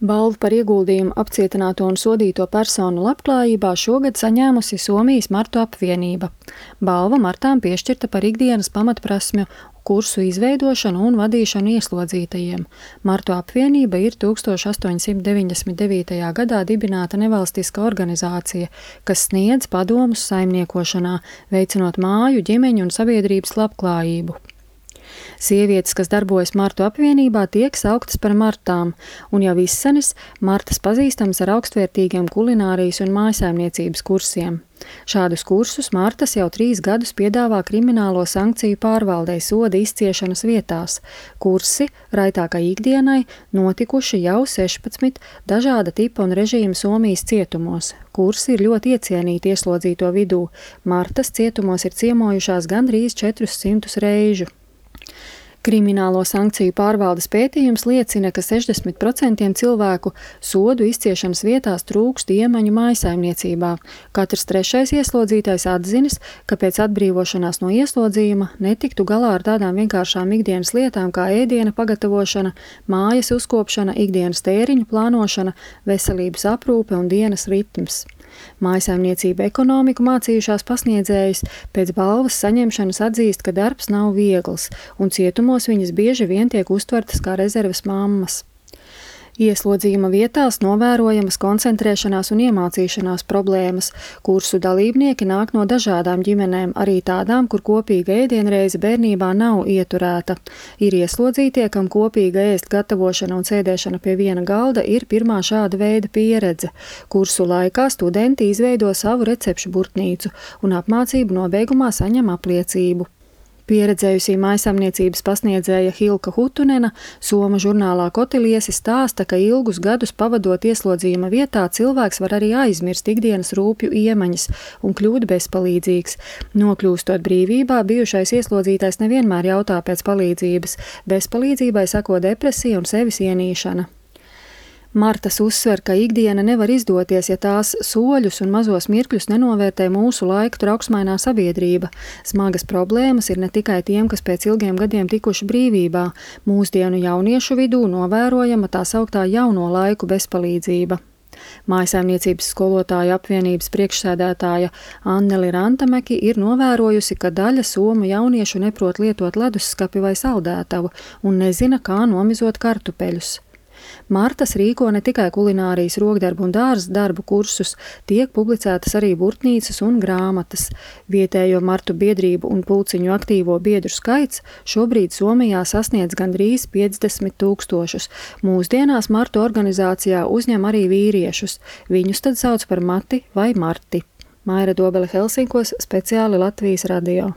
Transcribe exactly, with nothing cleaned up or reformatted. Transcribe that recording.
Balvu par ieguldījumu apcietināto un sodīto personu labklājībā šogad saņēmusi Somijas Martu apvienība. Balva Martām piešķirta par ikdienas pamatprasmju kursu izveidošanu un vadīšanu ieslodzītajiem. Martu apvienība ir tūkstoš astoņsimt deviņdesmit devītajā gadā dibināta nevalstiska organizācija, kas sniedz padomus saimniekošanā, veicinot māju, ģimeņu un sabiedrības labklājību. Sievietes, kas darbojas Martu apvienībā, tiek sauktas par Martām, un jau izsenis Martas pazīstams ar augstvērtīgiem kulinārijas un mājsaimniecības kursiem. Šādus kursus Martas jau trīs gadus piedāvā kriminālo sankciju pārvaldei soda izciešanas vietās. Kursi raitākai ikdienai notikuši jau sešpadsmit dažāda tipa un režīma Somijas cietumos. Kursi ir ļoti iecienīti ieslodzīto vidū. Martas cietumos ir ciemojušās gandrīz četrus simtus reižu. Kriminālo sankciju pārvaldes pētījums liecina, ka sešdesmit procenti cilvēku sodu izciešanas vietās trūkst iemaņu mājsaimniecībā. Katrs trešais ieslodzītais atzinis, ka pēc atbrīvošanās no ieslodzījuma netiktu galā ar tādām vienkāršām ikdienas lietām kā ēdiena pagatavošana, mājas uzkopšana, ikdienas tēriņu plānošana, veselības aprūpe un dienas ritms. Mājsaimniecība ekonomiku mācījušās pasniedzējas pēc balvas saņemšanas atzīst, ka darbs nav viegls, un cietumos viņas bieži vien tiek uztvertas kā rezerves mammas. Ieslodzījuma vietās novērojamas koncentrēšanās un iemācīšanās problēmas. Kursu dalībnieki nāk no dažādām ģimenēm, arī tādām, kur kopīga ēdienreize bērnībā nav ieturēta. Ir ieslodzītie, kam kopīga ēst gatavošana un sēdēšana pie viena galda ir pirmā šāda veida pieredze. Kursu laikā studenti izveido savu recepšu burtnīcu un apmācību nobeigumā saņem apliecību. Pieredzējusī mājsaimniecības pasniedzēja Hilka Hutunena Somu žurnālā Kotiliesi stāsta, ka ilgus gadus pavadot ieslodzījuma vietā cilvēks var arī aizmirst ikdienas rūpju iemaņas un kļūt bezpalīdzīgs. Nokļūstot brīvībā, bijušais ieslodzītais nevienmēr jautā pēc palīdzības. Bezpalīdzībai sako depresija un sevis ienīšana. Martas uzsver, ka ikdiena nevar izdoties, ja tās soļus un mazos mirkļus nenovērtē mūsu laika trauksmainā sabiedrība. Smagas problēmas ir ne tikai tiem, kas pēc ilgiem gadiem tikuši brīvībā. Mūsdienu jauniešu vidū novērojama tā sauktā jauno laiku bezpalīdzība. Mājsaimniecības skolotāju apvienības priekšsēdētāja Anneli Rantameki ir novērojusi, ka daļa somu jauniešu neprot lietot ledusskapi vai saldētavu un nezina, kā nomizot kartupeļus. Martas rīko ne tikai kulinārijas, rokdarbu un dārza darbu kursus, tiek publicētas arī burtnīcas un grāmatas. Vietējo Martu biedrību un pulciņu aktīvo biedru skaits šobrīd Somijā sasniedz gandrīz piecdesmit tūkstošus. Mūsdienās Martu organizācijā uzņem arī vīriešus. Viņus tad sauc par Mati vai Marti. Maira Dobele Helsinkos, speciāli Latvijas radio.